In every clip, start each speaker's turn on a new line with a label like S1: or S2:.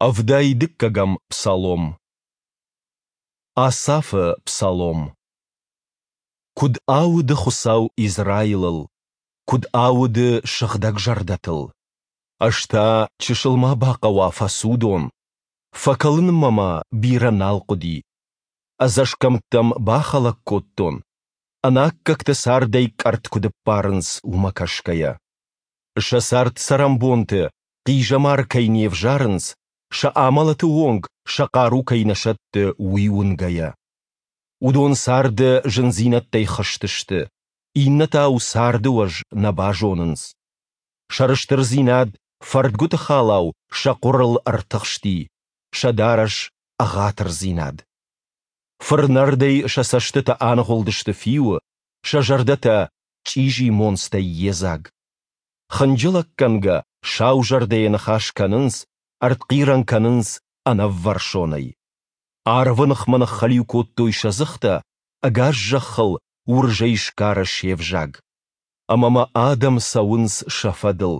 S1: 72-ӕм псалом. Асафы псалом. Куыд ауды Хуыцау Израилыл, куыд ауды сыгъдӕгзӕрдӕтыл! Ӕз та, чысыл ма бахъӕуа, фӕцудон, фӕкӕлынмӕ мӕ бирӕ нал хъуыди. Ӕдзӕсгӕмттӕм бахӕлӕг кодтон, ӕнаккӕгтӕ цардӕй къӕртт куыд ӕппарынц, уымӕ кӕсгӕйӕ. Сӕ цард-цӕрӕнбонты хъизӕмар кӕй не взарынц, сӕ амӕлӕты онг сӕ хъару кӕй нӕ сӕтты, уый уынгӕйӕ. Уыдон царды зындзинӕдтӕй хызт сты, иннӕтау царды уӕз нӕ базонынц. Сӕрыстырдзинад фӕрдгуыты халау сӕ хъуырыл ӕртыхсти, сӕ дарӕс ӕгъатырдзинад. Фырнӕрдӕй сӕ цӕстытӕ аныгъуылдысты фиуы, сӕ зӕрдӕтӕ чъизи монцтӕй йедзаг. Хынджылӕггӕнгӕ саузӕрдӕйӕ ныхас кӕнынц, ӕртхъирӕн кӕнынц ӕнӕввӕрсонӕй. Арвы ныхмӕ ныххӕлиу кодтой сӕ дзыхтӕ, ӕгас зӕххыл уырзӕй сгары се взаг. Ӕмӕ мӕ адӕм цӕуынц сӕ фӕдыл.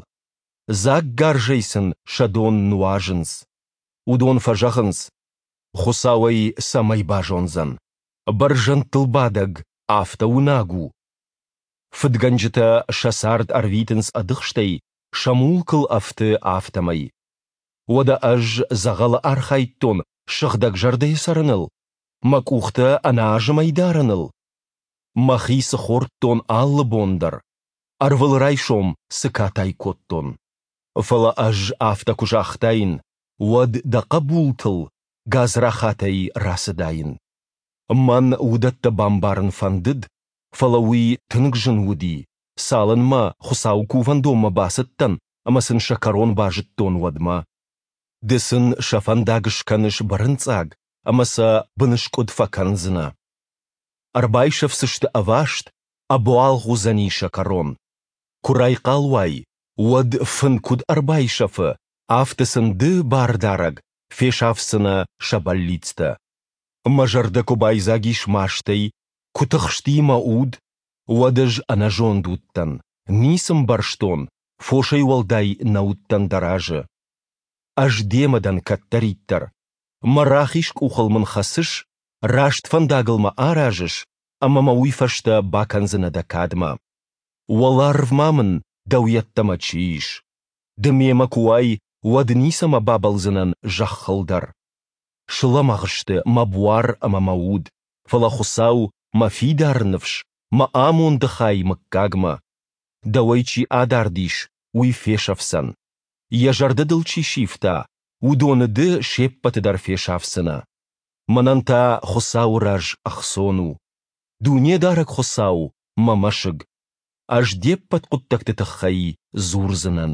S1: Дзаггарзӕй сын сӕ дон нуазынц. Уыдон фӕзӕгъынц, Хуыцау ӕй цӕмӕй базондзӕн, бӕрзӕндтыл бадӕг афтӕ уынаг у? Фыдгӕнджытӕ сӕ цард ӕрвитынц ӕдыхстӕй, сӕ мулкыл ӕфты, афтӕмӕй. Уӕдӕ ӕз дзӕгъӕлы архайдтон сыгъдӕгзӕрдӕйӕ цӕрыныл, мӕ къухтӕ ӕнӕазымӕй дарыныл? Мӕхи цы хордтон алы бон дӕр, ӕрвылрайсом цы катай кодтон? Фӕлӕ ӕз афтӕ куы загътаин, уӕд дӕ хъӕбултыл гадзрахатӕй рацыдаин. Мӕн уыдӕттӕ бамбарын фӕндыд, фӕлӕ уый тынг зын уыди, цалынмӕ Хуыцауы кувӕндонмӕ бацыдтӕн ӕмӕ сын сӕ кӕрон базыдтон, уӕдмӕ. Ды сын сӕ фӕндаг скӕныс бырынцъаг ӕмӕ сӕ быныскъуыд фӕкӕндзынӕ. Ӕрбайсӕфдзысты ӕваст, ӕбуалгъ уыдзӕни сӕ кӕрон. Куы райхъал уай, уӕд фын куыд ӕрбайсӕфы, афтӕ сын ды, Бардарӕг, фесафдзынӕ сӕ бӕллицтӕ. Мӕ зӕрдӕ куы байдзаг ис мастӕй, куы тыхсти мӕ уд, уӕд ӕз ӕнӕзонд уыдтӕн, ницы мбӕрстон, фосӕй уӕлдай нӕ уыдтӕн дӕ разы. Ӕз демӕ дӕн кӕддӕриддӕр. Мӕ рахиз къухыл мын хӕцыс, раст фӕндагыл мӕ аразыс, ӕмӕ мӕ уый фӕстӕ бакӕндзынӕ дӕ кадмӕ. Уӕларвмӕ мын дӕу йеддӕмӕ чи ис? Ды мемӕ куы уай, уӕд ницӕмӕ бабӕлдзынӕн зӕххыл дӕр. Слӕмӕгъ сты мӕ буар ӕмӕ мӕ уд, фӕлӕ Хуыцау мӕ фидар ныфс, мӕ амонды хай мыггагмӕ. Дӕуӕй чи адард ис, уый фесӕфдзӕн. Йӕ зӕрдӕ дыл чи сивта, уыдоны ды се ппӕты дӕр фесафдзынӕ. Мӕнӕн та Хуыцауы раз ӕхцон у. Дунедарӕг Хуыцау, мӕ мӕсыг. Ӕз де ппӕт хъуыддӕгты тыххӕй дзурдзынӕн.